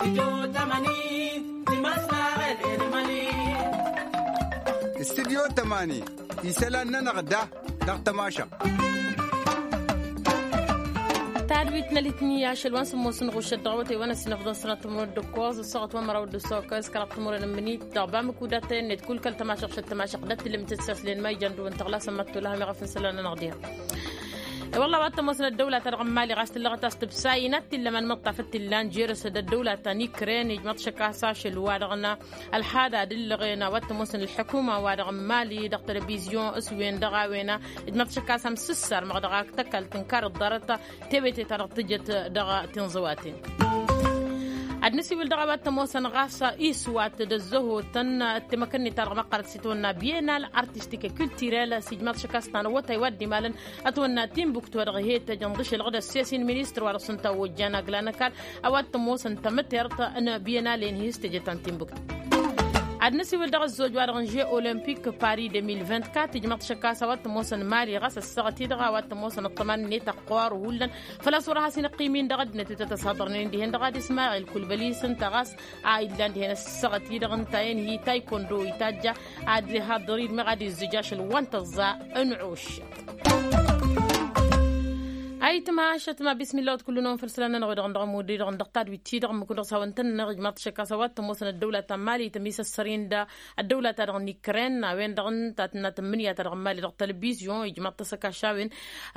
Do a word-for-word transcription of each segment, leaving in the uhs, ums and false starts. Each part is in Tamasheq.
Studyo tămani isălan-nănăɣ da dăɣ-tămašăɣt. Tadwit n-alitni ašăl wa n-sǝmmos n-ɣušăt dăɣ-awătay wa n-ăssinăfḍăn sănăt timǝrwen d-ǝkkoẓ ǝssaɣăt wa n-măraw d-ǝssaɣ kăl-s kăraḍ timǝrwen n-imǝnit dăɣ-bamǝk udatăyăn-net kull kăl-tămašăɣt šăt tămašăɣt d-ăttǝllǝm tǝssaslen ma ijan dăɣ-wăn tăɣlasăn ma t-tolăhăm iɣăf n-isălan-nănăɣ diha. E-wălla a-wa t-ămoosăn ăddăwlata dăɣ-n mali ɣas tǝllăɣăt a-s tǝbsa inat t-illăman măṭṭaf d-t-illan jer-s d-ăddăwlata n-ikren ijmăḍ šăkk a-s ašăl wa-dăɣ n-ălxada d-ǝllăɣen a-wa t-ămoosăn ălḥukuma-wa-dăɣ n-mali dăɣ-telăbizyon s-wen-dăɣ a-wen ijmăḍ šăkk a-s amsǝssar măɣ dăɣ-ak tăkalt tǝnkar ǝḍḍarăt tewete-ta-dăɣ tǝjăt dăɣ-tinẓǝwaten. Ad-nǝsiwǝl dăɣ-a-wa t-ămoosăn ɣas iswat d-ăzzăhotăn ăttemăkăn-net-ta-dăɣ măqqărăt s-itwănna bienal artistik culturel s-ijmaḍ šăkk a-s tanăwwătay wa dd-imalăn ătwănna timbuktu wa dăɣ-he-tăjăn ḍǝšălăɣ d-ăsses-in ministăr wa dăɣ-s ǝnta ojjan agla n-ăkall a-wa t-ămoosăn tamǝtert n-bienal-en hi s-teje ta n-timbuktu. Ad-nǝsiwǝl dăɣ-ăzzoj wa dăɣ-n žeu olimpik paris deux mille vingt-quatre ijmaḍ šăkk a-s a-wa t-ămoosăn mali ɣas ăssaɣăt-i-dăɣ a-wa t-ămoosăn ăṭṭăman-net ăqqoor hullan făl-a-s wăr-has-in-ăqqim-in dăɣ-ăddinăt wi tăt-ăsaḍărnen dihen-dăɣ ad-ismaɣil kulbăli s-ǝnta ɣas a illan dihen ăssaɣăt-i-dăɣ ǝnta-en hi taykondo itajja ad-ihaḍăr-dd meɣ ad-izzǝj ašăl wa n-tăẓẓa n-ɣuššăt. Ayǝtma ašăt ma bismilla wăt kull-năwăn făll-isălan-nănăɣ wi-dăɣ n-dăɣ ămud-i-dăɣ n-dăɣ tadwit-i-dăɣ ǝmmǝk-dăɣ s-hawăn-tăn-nănăɣ ijmaḍ-t šăkk a-s a-wa t-ămoosăn ăddăwlăt ta n-mali tămisăssăr-in d-ăddăwlăt-ta-dăɣ n-ikren a-wen-dăɣ ǝnta tǝnna tǝmmǝnǝya-ta-dăɣ n-mali dăɣ-telăbizyon ijmaḍ-t asăkaš a-wen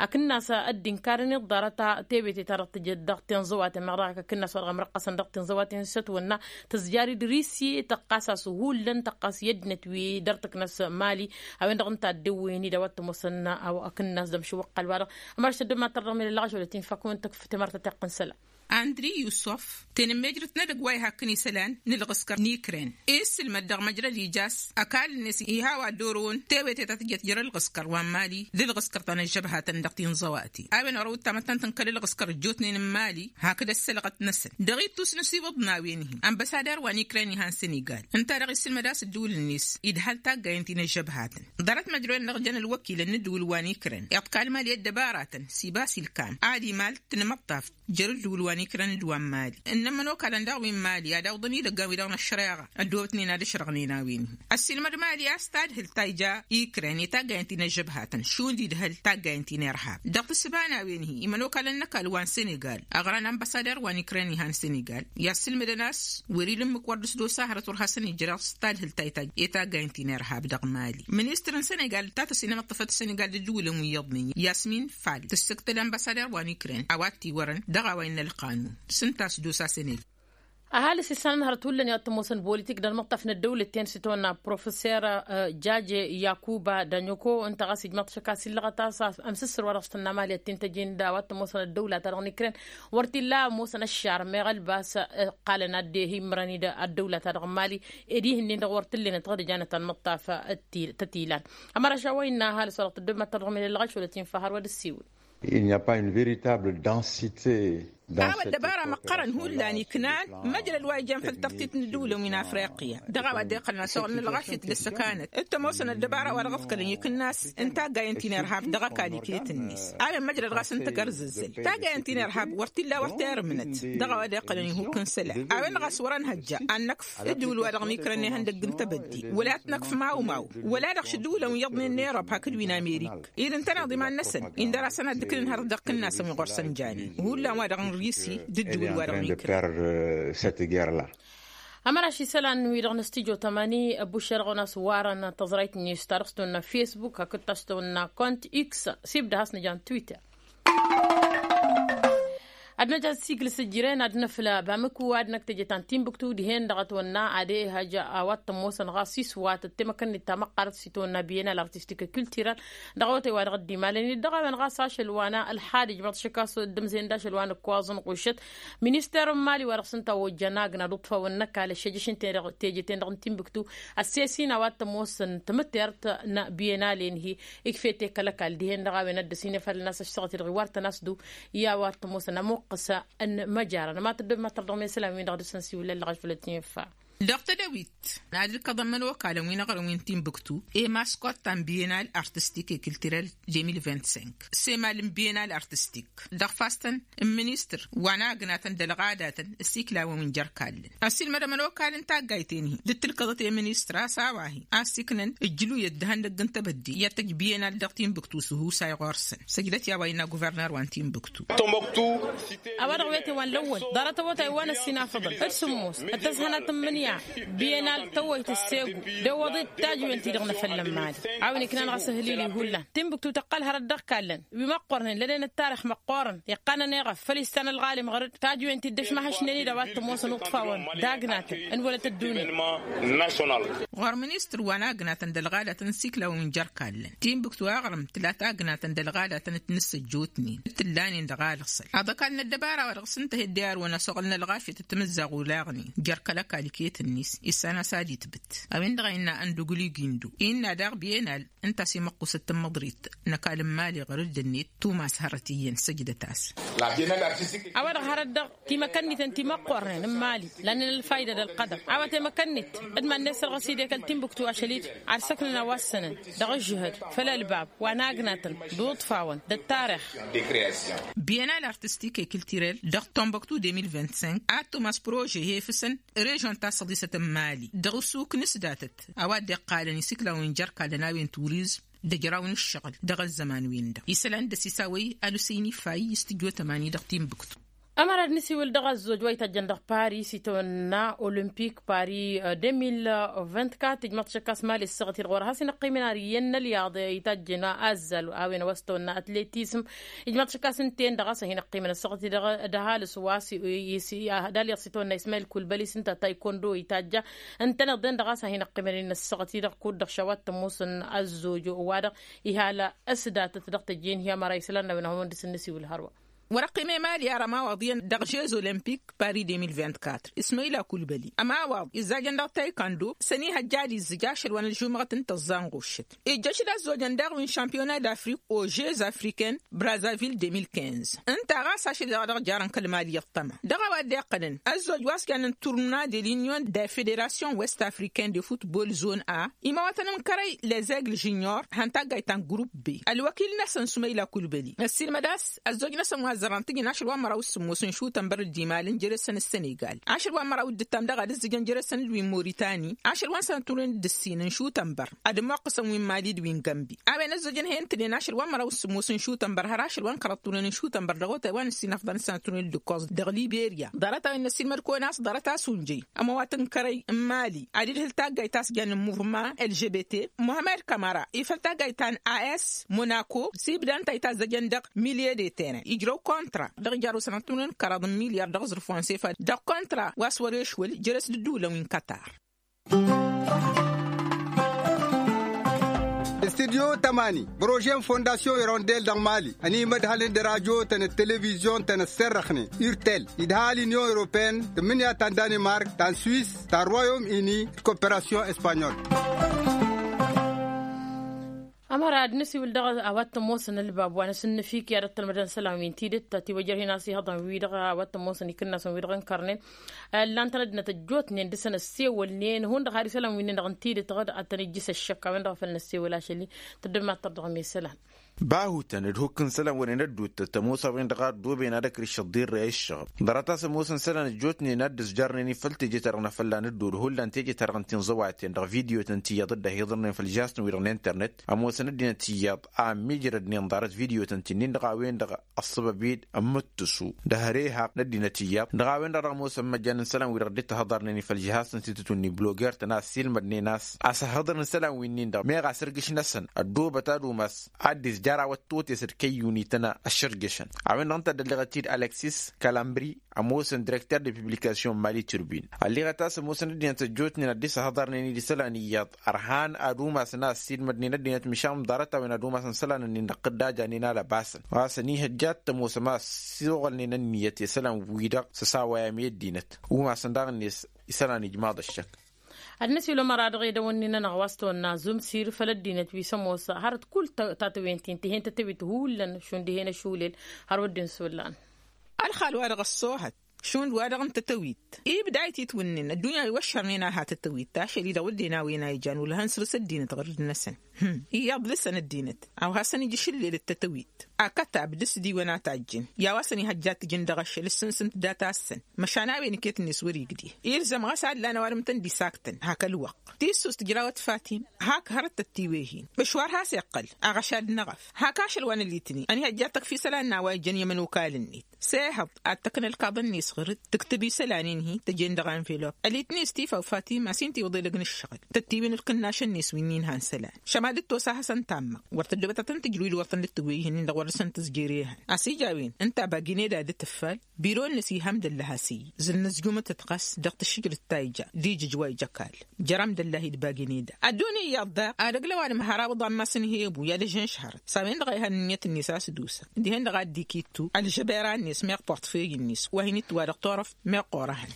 akǝnnas ăddinkar-in iḍḍarăt tewete-ta-dăɣ tǝjăt dăɣ-tinẓǝwaten meɣ dăɣ-ak akǝnnas wa dăɣ-imrăqqăsăn dăɣ-tinẓǝwaten s-ătwănna tǝzjar-dd risi tăqqas-as hullan tăqqas i-ăddinăt wi dăr-tǝknăs mali a-wen-dăɣ ǝnta a dd-ewwăyăn-dd a-wa t-ămoosăn akǝnnas d-ămšǝwwăqqal-wa-dăɣ. Ămăraš tăddămmat tărdăɣ mel ălɣăšolăt-in fak-wen tǝkf temărt ta tiqqǝn isălan. Andri yusuf tenămmejrăt n-edăgg wa ihakkăn isălan n-ǝlɣǝskăr n-ikren issǝlmăd dăɣ-măjrăd ija a-s ăkall-net iha a-wa dd-orăwăn tewete ta tǝjăt jer-ǝlɣǝskăr wa n-mali d-ǝlɣǝskăr ta n-ăžžăbhatăn dăɣ-tinẓăwate a-wen ărăw d-tamăttant n-kăl-ǝlɣǝskăr ăjjootnen n-mali hakd ăssălɣăt-năsăn dăɣ-ittus n-asiwǝḍ n-a-wen-hi ănbăsadăr wa n-ikren ihăn senegal ǝnta-dăɣ isǝlmăd a-s ǝddǝwǝl-net idhăl taggayăn ti n-ăžžăbhatăn ḍarăt măjrăwen-năɣ jăn ălwăkilăn n-ǝddǝwǝl wa n-ikren iḍkal mali ăddăbaratăn s-ibas ilkam ad-imal tǝnmăṭṭaf jer-ǝddǝwǝl wa n-ikren d-wa n-mali ǝnnăn imănokalăn daɣ wi n-mali ad-awǝḍăn idăggan wi-dăɣ n-ăššăreɣa ăddoobătnen ad-ǝšrăɣnen a-wen-hi ăssiilmăd mali a-s tadhǝlt ta ija ikren i-taggayăn ti n-ăžžăbhatăn šund idhăl taggayăn ti n-irhab dăɣ-tǝssǝba n-a-wen-hi imănokalăn n-ăkall wa n-senegal ăɣran ănbăsader wa n-ikren ihăn senegal i-assǝlmǝdăn a-s wăr-ila ǝmmǝk wăr dd-s-dosa hărăt wăr hasăn-ijrăɣ s-tadhǝlt ta itaggayăn ti n-irhab dăɣ-mali ministăr n-senegal ta tăsinămăṭṭăfăt senegal d-ǝddǝwǝlăn wi iyyăḍnen yasmin fal tǝssǝktăl ănbăsader wa n-ikren a-wa t-iwărăn dăɣ-a-wa innă ălqanun s-ǝnta a-s dd-osa senegal. Ăhalǝs isălan hărăt hullan i-ad-tămoosăn bolitik d-ălmăṭṭaf n-ăddăwlăt-ten s-itawănna professer jaje yakuba dănyoko ǝnta ɣas ijmăḍ šăkk a-s illăɣăt a-s ămsǝssǝr wa dăɣ-s tǝnna mali ad-t-in-tăjin d-a-wa t-ămoosăn ăddăwla-ta-dăɣ n-ikren wăr t-illa ămoosăn ăššar meɣ ălbas ǝqqalăn ad-dd-ehimrăn-dd ăddăwla-ta-dăɣ n-mali ed ihǝnnin-dăɣ wăr t-ǝllenăt ɣad ăjanăt ălmăṭṭaf tăt-ilan. Ămăraš a-wa innă ăhalǝs wa dăɣ-tăddobmat ta dăɣ-mel ălɣăš wăla t-infa hărwa d-ăssiwǝl. Il n'y a pas une véritable densité. A-wa ăddăbara măqqărăn hullan iknan măjrăd wa ijan făll-tărtit n-ǝddǝwǝlăn wi n-afriqya dăɣ-a-wa dd-iqqălăn ăsoɣăl n-ălɣašit d-ăssăkanăt t-ămoosăn ăddăbara wa dăɣ-ǝḍkălăn ikǝnnas n-taggayăn ti n-irhab dăɣ-ăkall iket-net. A-wen măjrăd ɣas n-tagărzǝzzǝl taggayăn ti n-irhab wăr t-illa wăr terǝmnăt dăɣ-a-wa dd-iqqălăn ihuk n-isălan a-wen-dăɣ a-s wăr-ănhăjja ad-năkf ǝddǝwǝl-wa-dăɣ n-ikren ihăndăgg n-tebădde wăla t-năkf mawmaw wăla-dăɣ šǝddǝwǝlăn wi iyyăḍnen n-erop hakd wi n-amerik ed ǝntăneḍ iman-năsăn indăr-asăn ad-dd-ǝkǝlăn hărăt dăɣ-ikǝnnasăn wi ɣur-săn janen hullan wa-dăɣ n-risi d-ǝddǝwǝl-wa-dăɣ n-ikren. Ămăraš isălan-wi-dăɣ n-studyo tămani ăbbuššer-dăɣ-wen a-s warăn tăẓrayt-net ta dăɣ-s tăwănna facebook hakd ta s-tăwănna kont x s-ibda has-nǝja n-twitter. Ad-năj ad-sigǝl s-ǝjren ad-năfla bamǝku ad-năkk teje ta n-timbuktu dihen-dăɣ ătwănna ad-ehăj a-wa t-ămoosăn ɣas iswat ăttemăkăn-net ta măqqărăt s-itwănna bienal artistik culturel dăɣ-awătay wa dăɣ-dd-imalăn-dd dăɣ-a-wen ɣas ašăl wa n-ălxad ijmăḍ šăkk a-s dd-ǝmzăyăn d-ašăl wa n-ǝkkoẓ n-ɣušăt. Minister n-mali wa dăɣ-s ǝnta a ojjăn agna d-uṭṭfawăn n-ăkall ăššejăš n-teje-ten-dăɣ n-timbuktu ăsses-in a-wa t-ămoosăn tamǝtert n-bienal-en-hi. Ikfete kăl-ăkall dihen-dăɣ a-wen ad-dăr-s inefalăn a-s ăššăɣăt-i-dăɣ iwartăn a-s du i-a-wa t-ămoosăn ămuqqǝs n-imăjarăn ămatăr d-ămatăr dăɣ-mesălan-win-dăɣ dăr-s ănsiwǝllăn lăɣăš făll-ăttinfa. Dăɣ-tedăwit ad-ǝlkăḍăn imănokalăn wi n-aɣrǝm wi n-timbuktu i-maskot ta n-bienal artistik i-kiltirel. De mil vint-cinq s-emal n-bienal artistik dăɣ-fastăn n-ministăr wa n-agnatăn d-ălɣadatăn s-iklawăn wi n-jer-kallăn. Ăssiilmădăm ănokal n-taggayt-en-hi dd-tǝlkăḍăt i-ministăr a-s a-wa-hi a-s iknăn ǝjjǝluyăt d-ihăndăgg n-tebădde i-ad-tăjj bienal dăɣ-timbuktu s-husay ɣur-săn. Săjdăt i-a-wa innă guvernăr wa n-timbuktu. A-wa-dăɣ wete wa n-lăwwăl ḍarăt awătay wa n-ăssinafăḍăn d-sǝmmos d-tăzhănat n-imǝnǝya bienal tăwwăyt ăssegu d-ewăḍit tajwen-ti-dăɣ n-efăllăn mali. A-wen iknan ɣas ăhǝlili hullan timbuktu tăqqăl hărăt dăɣ-kallăn wi măqqornen lănen ăttarix măqqorăn iqqanăn eɣăf făl istan ălɣalim ɣăr-dd tajwen-ti dd-ăšmăhăšnen-dd a-wa t-ămoosăn uṭṭfawăn d-agnatăn n-wălăt ăddunya. Ɣur-ministăr wa n-agnatăn d-ălɣadatăn n-siklawăn jer-kallăn timbuktu aɣrǝm tǝla tagnatăn d-ălɣadatăn d-tinǝssăjjotnen d-tǝllanen dăɣ-alăɣsăl aḍăkal n-ăddăbara wa dăɣ-s ǝnta heddeyar wăn-ăsoɣăl n-ălɣafyăt d-timǝzzaɣ olaɣnen jer-kăl-ăkall iket-net issan a-s ad-itbǝt. A-wen-dăɣ a innă ăndugǝl igindo innă daɣ bienal ǝnta a-s imăqqusăt tǝmmăḍrit n-ăkall n-imali ɣur-dd-net tumas hărăt iyyăn săjdăt-as. A-wa-dăɣ hărăt dăɣ-timăkănnităn ti măqqornen n-imali lănnen ălfayda d-ălqădăr a-wa temăkănnit d-iman-net săr ɣas idek ăltimbuktu ašăl-i-dd ar săknăn a-wa ǝssănăn dăɣ-ǝžžǝhăd făll-ălbab wa n-agnatăn d-uḍfawăn d-ăttarix. Bienal artistik i-kiltirel dăɣ-tombăktu de mil vint-cinq ad-tumas prože hefǝsăn režon ta s-ăḍisăt n-imali dăɣ-asuk n-asdatăt a-wa dd-iqqalăn isiklawăn jer-kallăn a-wen turizm d-ajraw n-ǝššăɣǝl dăɣ-ăzzăman-win-dăɣ isălan d-ăsisawăy alusăyni fay s-tǝjjo tămani dăɣ-timbuktu. Ămăra d-nǝsiwǝl dăɣ-ăzzoj wa itajjăn dăɣ-paris itawănna olimpik paris de mil vint-quatre ijmaḍ šăkkas mali ăssaɣăt-i-dăɣ wăr has-inăqqimen ar iyyăn n-ălyaḍ itajjăn azzal a-wen a-wa s-tawănna atletism. Ijmaḍ šăkkas ǝnta-en-dăɣ a-s ad-hin-ăqqimăn ăssaɣăt-i-dăɣ d-ăhalǝs wa s-i-i-s-i-a d-alyaḍ s-itawănna ismail kulbăli s-ǝnta a taykondo itajja ǝntăneḍ-en-dăɣ a-s ad-hin-ăqqimăn-in ăssaɣăt-i-dăɣ kud-dăɣ šawat tămoosăn ăzzoj wa-dăɣ ihal ăsdatăt dăɣ-tăjjeen hi-ămăra isălan n-a-wen ad-hawăn-dd-săn nǝsiwǝl hărwa. Wăr-ăqqim i-mali ar ămawaḍ iyyăn dăɣ-žez olimpik paris de mil vint-quatre ismăyla kulbăli ămawaḍ izzajăn dăɣ-taykando s-ănihăjja ad-izzǝj ašăl wa n-ălžumăɣăt n-tăẓẓa n-ɣuššăt ijjăš d-ăzzojăn daɣ wi n-šampiyona d-afrik o žez afriken brazavil de mil quinze ǝnta ɣas ašăl-i-dăɣ dăɣ-jarăn kăl-mali iṭṭăma dăɣ-a-wa dd-iqqălăn ăzzoj wa s-jannen turna de l-inyon de federasyon west afriken de futbol zon a imawătăn n-kărăy lezegl žunior han taggayt ta n-grup b ălwăkil-năsăn sumăyla kulbăli ăssiilmăd a-s ăzzoj-năsăn wa ăzzărăn tǝjǝn ašăl wa n-măraw s-sǝmmos n-šutănbăr d-imalăn jere-săn ăssenegal ašăl wa n-măraw d-ǝttam dăɣ-ad-ǝzzǝjăn jere-săn d-wi n-moritani ašăl wa n-săn turnen d-ǝssin n-šutănbăr ad-ămmoqqăsăn wi n-mali d-wi n-gănbi a-wen ăzzojăn he-ǝntǝnen ašăl wa n-măraw s-sǝmmos n-šutănbăr har ašăl wa n-kărăḍ turnen n-šutănbăr dăɣ-otay wa n-ǝssin afḍăn s-săn turnen d-ǝkkoẓ dăɣ-liberya ḍarăt a-wen n-ăssiilmăd kăwăn-as ḍarăt a-s unjăy ămăwat n-kărăy n-mali ad-idhǝl taggayt ta s-jannen muvma lgbt muhammed kamara ifăl taggayt ta n-as monako s-ibda ǝnta a itazzăjăn dăɣ-milye de teren ijrăw kontra dăɣ-ijar osănăt n-kăraḍ n-milyar dăɣ-aẓrǝf wa n-sefa dăɣ-kontra wa s-wăr-ešwăl jere-s d-ǝddǝwǝlăn wi n-katar. Studyo tămani bărožen fondasyon irondel dăɣ-mali ănimădhălăn d-rajo-tăn d-televizyon-tăn ăsserrăxnen urtel idha l-inyon europeen tǝmmǝnǝya ta n-danimark ta n-swis ta n-royom ini d-koperasyon espanyol. Ămăra ad-nǝsiwǝl dăɣ-a-wa t-ămoosăn ălbab wa n-asǝnnǝfik i-ad-ăttălmădăn isălan wi n-tidǝt ătiwăjrăh-in a-s ihăḍăn-wi-dăɣ a-wa t-ămoosăn ikǝnnasăn wi-dăɣ n-kărnen ǝllan-tăn ăddinăt ăjjootnen dăr-săn ăssewălnen hundăɣ har isălan wi-nin-dăɣ n-tidǝt ad-tăn-ijjǝs ăššăk a-wen-dăɣ a făl năssewăl ašăl-i. Tăddămattăr dăɣ-mi isălan. Bahutăn d-hukk n-isălan wăren ădduuttăt ămoos a-wen-dăɣ a ăddooben ad-ăkrǝššăḍ dirrey ǝššăɣǝb ḍarăt a-s ămoosăn isălan ăjjootnen ad-dd-ǝzjarnen i-făl teje-ta-dăɣ n-afălla n-ăddool hullan teje-ta-dăɣ n-tinẓăwaten dăɣ-vidyotăn ti iyyăḍ dd-ăhiḍărnen făll-žasăn-wi-dăɣ n-internet ămoosăn ăddinăt iyyăḍ a ămmiijrădnen ḍarăt vidyotăn ti-nin-dăɣ a-wen-dăɣ ăṣṣăbăb-dd ămmǝttǝsu d-ehăre ihaq n-ăddinăt iyyăḍ dăɣ-a-wen-dăɣ dăɣ-ămoosăn imăjjan n-isălan-wi-dăɣ dd-ǝttăhăḍarnen i-făll-žihasăn s-itǝtun n-ibloger-tăn a ăssiilmădnen a-s a-s ăhhăḍărăn isălan-wi-nin-dăɣ meɣ a-s ărgǝš-năsăn ăddoobăt ad-umas ad-dd-izjar awăttotes d-kăyyunităn ăššărjăšăn. A-wen-dăɣ ǝnta a dd-ălliɣăt-dd alăksis kalambri ămoosăn direkter de publikasyon mali turbin ălliɣăt a-s ămoosăn ăddinăt ăjjootnen ad-dd-isăhhăḍărnen-dd isălan iyyăḍ ărhan ad-umasăn a ăssiilmădnen ăddinăt măšan ḍarăt-a-wen ad-umasăn isălan-nin-dăɣ tǝdda janen alăbasăn a-s ănihăjja ad-t-ămoosăm a ăssiɣălnen ănniyăt i-isălan-wi-dăɣ s-ăsawăyăm i-ăddinăt umasăn daɣ-net isălan ijmaḍ ăššăk. Ad-năsiwǝl ămăra dăɣ-edăwănnin-nănăɣ wa s-tawănna zumsir făll-ăddinăt wi s-ămoos hărăt kull tatăwen-tin tǝhen tătăwit hullan šund dihen ašulel. Har wădden s-ollan. Ălxal-wa-dăɣ ăṣṣoohăt Šund wa-dăɣ n-tătăwit ibda ititwǝnnen ăddunya iwăššărnen a ha tătăwit ašăl-i-dăɣ wădden a-wen a ijan wăla hăn săr-s ăddinăt ɣur-dăɣ-năsăn. Iyyăḍ lăsăn ăddinăt a-wa hasăn-ija ašǝllel d-tătăwit akătab d-asdiwăn a tajjǝn i-a-wa săn-ihăjja tǝjǝn dăɣ-ašăl ǝssǝnsǝmt data-săn. Măšan a-wen iket-net wăr-igdeh ilzăm ɣas a ǝllan ăwadǝm tăn-dd-isaktăn hak ălwăqq. Tissust ǝjrawăt fatim hak hărăt tăt-tiweh-in. Măšwar has-iqqăl aɣăšad n-eɣăf hak ašăl wa n-alitni ănihăjja tăkf isălan n-a-wa ijăn i-ămănokal-net. Sehăḍ ad-tăkna ălkaḍăn-net ɣur-dd tǝktǝb isălan-in-hi tăjen dăɣ-anvelop ălitni s-tifaw fatim a-s hin-tiwǝḍ elăg n-ǝššăɣǝl. Tăt-tiwǝn ǝlkǝnnašăn-net wi n-inhan isălan šăma dd-tosa a hasăn-tammăɣ wăr tăddobăt ad-tăn-tǝjrǝw idwăḍăn d-tǝgwey-hin-in-dăɣ wăr dăr-săn tǝzjer ehăn a-s ija a-wen ǝnta bagineda d-tǝffal. Biro-net iham d-ăllăh a-s iji zǝl nǝzjumăt ăṭṭăɣas dăɣ-tǝššǝjrǝt ta ija d-ijǝj wa ija kall. Jăr-am d-ăllăh idbagǝn eda ăddunya iyyăḍ daɣ ad-ăgg l-ăwadǝm har awǝḍan ma s-ǝnhebu i-ad-ăžžănšhărăt s-a-wen-dăɣ a ihăn ǝnniyăt-net a-s dd-usa. Dihen-dăɣ a dd-ikittu ălžăbera-net meɣ portfey-net wa hin-itwa dăɣ-turăft meɣ ɣur-ehăn.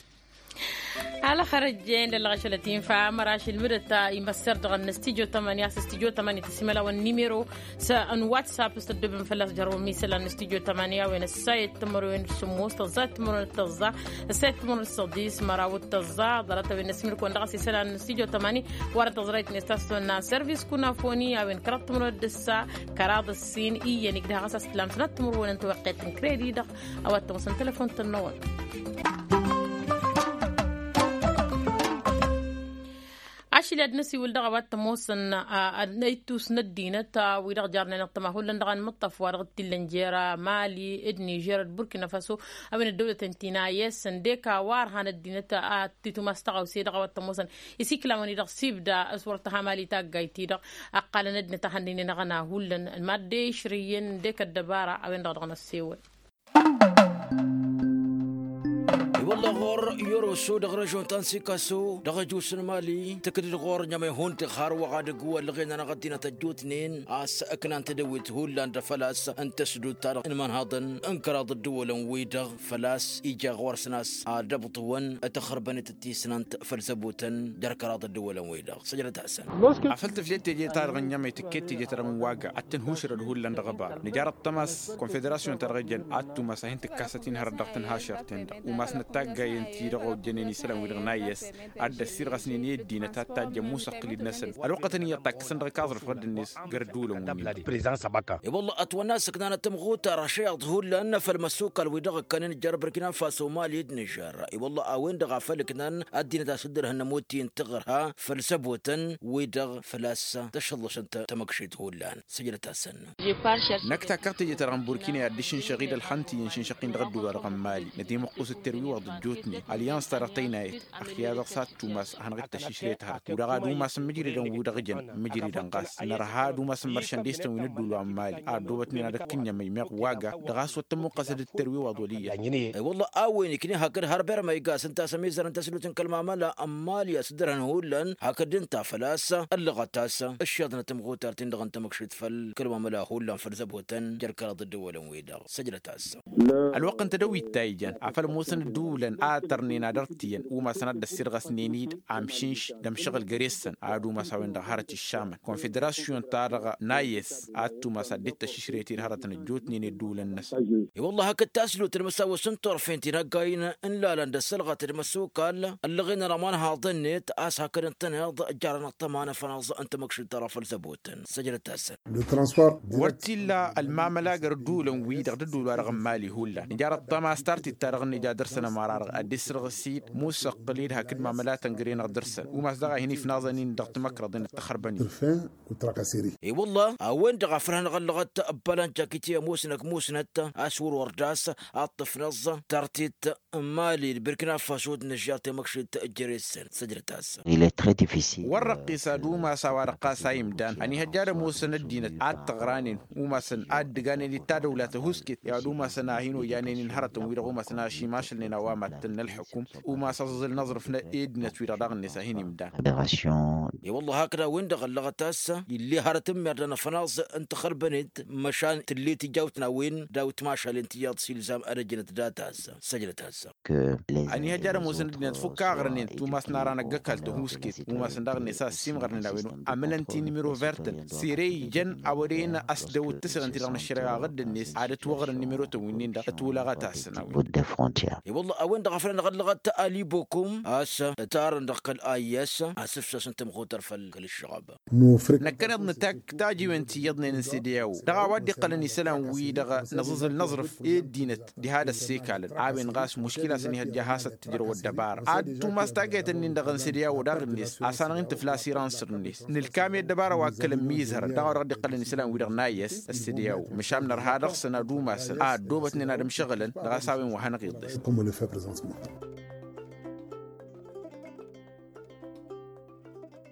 Alăxăr ăjjeen d-ăllăɣ ašăl ătinfa măraš ilmǝdăt imăssăr dăɣ-ănnăstijyo tămănăya s-ăstijyo tămănăya tăsimălawăn nimero s-ănwatsapp s-tăddobem fălla-s jărrăwăm isălan n-studyo tămani a-wen ăssayăt timărwen d-sǝmmos tăẓẓa timărwen d-tăẓẓa ăssayăt timărwen d-săḍis măraw d-tăẓẓa ḍarăt a-wen năsmǝlkăwăn dăɣ-s isălan n-studyo tămani. Wăr-ătăẓrăyt n-estasăn n-aservis kunafoni a-wen kăraḍ timărwen d-ǝssa kăraḍ ǝssin iyyăn igdăh ɣas a-s tǝlam sănat timărwen n-tăweqqet n-kredi-dăɣ. A-wa t-ămoosăn telefon-tăn-năwăn. Ašli ad-năsiwǝl dăɣ-a-wa t-ămoosăn ittus n-ăddinăt wi-dăɣ jarnen ăṭṭăma hullan dăɣ-anmǝṭṭăf wa dăɣ-t-illăn jer-mali d-nižer d-burkina faso. A-wen ăddăwlăten ti n-a i-s ǝndek a-wa ărhan ăddinăt a t-tumas tăɣawse dăɣ-a-wa t-ămoosăn isiklawăn-i-dăɣ s-ibda s-wăr tăha mali taggayt-i-dăɣ. Ăqqalăn ăddinăt a hăn-dd-inen ăɣna hullan mad-dd-išrǝyyăn ǝndek ăddăbara a-wen-dăɣ dăɣ-năssewăl. I-wălla ɣur-yoroso dăɣ-režon ta n-sikaso dăɣ-ăjus n-mali tǝkdǝd ɣur-ǝnjămăy hundăɣ har wăɣ adǝgg u-ăllăɣen-anăɣ ăddinăt ăjjootnen a-s ǝknan tedăwit hullan d-făl-a-s n-tăsdut-ta-dăɣ n-imănhăḍăn n-kăraḍ ǝddǝwălăn-wi-dăɣ făl-a-s ija ɣur-săn a-s ad-ăbṭǝwăn tăxărbănet d-tisnant făll-zăbotăn jer-kăraḍ ǝddǝwălăn-wi-dăɣ săjdăt-asăn. Afăl tǝflet teje-ta-dăɣ ǝnjămăy tǝkket teje-ta-dăɣ n-waga ad-tǝnhušrăd hullan dăɣ-ăba nǝjar ăṭṭămas konfederasyon-ta-dăɣ ijăn ad-tumas a hin-tǝkkasăt-in hărăt dăɣ-tinhašărt-ten-dăɣ umasnăt taggayen-ti-dăɣ ojjănen isălan-wi-dăɣ n-a i-s ad-dd-ăssirɣăsnen i-ăddinăt ad-tajjăn musăqqǝl-dd-năsăn ălwăqqătăn iyyăḍ takkăsăn dăɣ-ikaẓrǝf ɣǝddǝn-net găr-dd-ulăn-wi-dăɣ. I-wălla ătwănna a-s ǝknanăt tămɣutar ašăyaḍ hullan făll-imăssukal-wi-dăɣ ǝkkănen jer-burkina faso mali d-nižer. I-wălla a-wen-dăɣ a făl ǝknan ăddinăt a-s dd-ărhǝnnăm ottin tǝɣărha făll-zăbotăn-wi-dăɣ făl-a-s tăšăllăšăn tamăkšit hullan săjdăt-asăn. Năkk takkăɣ teje-ta-dăɣ n-burkina i-ad-dd-išǝnšăɣ-dd ălxănt iyyăn išǝnšăɣ-in dăɣ-ădduba-dăɣ n-mali nătimǝqqus d-terwiwăḍ ăjjootnen alyans-ta-dăɣ tăynayăt ăxya dăɣ-s ad-tumas ad-hanăɣ-dd-tăššišrăyăt hărăt wi-dăɣ ad-umasăn mǝjridăn wi-dăɣ jăn mǝjridăn ɣas nărha ad-umasăn măršăn destăn wi n-ădduul wa n-mali a ăddoobătnen ad-ăkk ǝnniyămăy meɣ waga dăɣ-a-s wăr tămmuqqăsăd d-terwiwăḍ wăl' iyyăt. I-wălla a-wen ikni hakd har bermăy gas ǝnta a-s ămizărăn tăsdut n-kăl-mamăla n-mali a-s dd-ărhăn hullan hakd ǝnta făl-a-s ăllăɣăt-as ǝššăḍnăt ămɣutart-in-dăɣ n-tamăkšit făll-kăl-mamăla hullan făll-zăbotăn jer-kăraḍ ăddăwălăn-wi-dăɣ săjdăt-as. Ălwăqq n-tedăwit ta ijan afăl ămoosăn ǝddǝwǝlăn a tărnen ad-ărtiyyăn umasăn ad-dd-ăssirɣăsnen-dd amšǝnš d-ămšăɣǝl găre-săn ad-umas a-wen-dăɣ hărăt iššamăn konfederasyon-ta-dăɣ n-a i-s ad-tumas ad-dd-tăššišrăyăt-dd hărătăn ăjjootnen i-ădduulăn-năsăn. I-wălla hakd taslut n-imǝsawăs n-turfen tinăggayăn n-ilalăn d-ăssălɣăt d-imăssukal ăllăɣen-anăɣ ma n-haḍăn-net a-s hakd ǝntăneḍ jarăn ăṭṭăma n-afănaẓ n-tamăkšit ta dăɣ-făl zăbotăn săjdăt-asăn. Wăr t-illa ălmamăla găr ădduulăn-wi-dăɣ d-ădduul-wa-dăɣ n-mali hullan nǝjar ăṭṭăma s-tartit-ta-dăɣ n-nǝja dăr-săn ămăra-dăɣ ad-dd-isǝrɣǝs-dd musăqqǝl-dd hakd mamălatăn găre-năɣ dăr-săn umas daɣ a hin-ifnaẓăn-in dăɣ-timăkrăḍen d-taxărbănin. I-wălla a-wen-dăɣ a făl hanăɣ-ăllăɣăt ăbbălan jakite ămoosnăk musnăt a-s wăr-wăr d-a-s a ǝṭṭǝfnăẓ tartit n-mali d-birkina faso d-nǝžžar temăkšit jere-săn săjdăt-as. Wăr răqqis ad-umas a-wa-dăɣ ɣas a imdan ănihăjja ad-ămoosăn ăddinăt ad-tăɣranen umasăn ad-dd-ǝganen d-tadăwla tăhuusket i-ad-umasăn a hin-ojanen-in hărătăn-wi-dăɣ umasăn a šimašălnen a-wa mad-tăn n-ălḥukum umas aẓǝẓǝl n-aẓrǝf n-eddinăt-wi-dăɣ daɣ-net a hin-imdan. I-wălla hakd a-wen-dăɣ ăllăɣăt a-s ill'-e hărăt n-immerdăn afănaẓ n-taxărbănet măšan tǝll'-e tijawt n-a-wen daw-t mašalen tiyyăḍ s-ilzam ad-ăjjănăt data-s săjdăt-as. Ăniihăjja ad-ămoosăn ăddinăt fukk aɣrǝnen tumas n-ara n-ăgg-ăkall tăhuusket umasăn daɣ-net a ăssiimɣărnen a-wen amǝlăn ti nimiro vertăn sere ijăn a wăren ăsdăwăt tǝsɣǝnt-i-dăɣ n-ăššăreɣa ɣǝddǝnet ad-ătwăɣrǝn nimirotăn wi-nin-dăɣ ătwǝlăɣăt-asăn a-wen. Dăɣ-afăl ănɣăllăɣăt alibokum a-s ătarăn dăɣ-kăl-a i-s asǝfsasăn tămxutăr făll-kăl-ǝššăɣăb. Năkkăneḍ nǝtak tajiwen ti iyyăḍnen n-sede a-wo dăɣ-a-wa dd-iqqălăn isălan-wi-dăɣ năẓǝẓǝl n-aẓrǝf i-ăddinăt diha d-ăssikalăn a-wen ɣas muškila-săn ihăjja a hasăt-tǝjrăw ăddăbara ad-tumas taggayt-ǝnnin-dăɣ n-sede a-wo daɣ-net. Asănăɣ-in tǝfla asirăn săr-net nǝlkam i-ăddăbara wa ǝkkălăn mi ǝzhărăn dăɣ-a-wa dăɣ-dd-iqqălăn isălan-wi-dăɣ n-a i-s ăssede a-wo măšan nărha dăɣ-săn ad-umasăn a ăddoobătnen ad-ǝmšăɣǝlăn dăɣ-a-s a-wen wa hanăɣ-iḍes.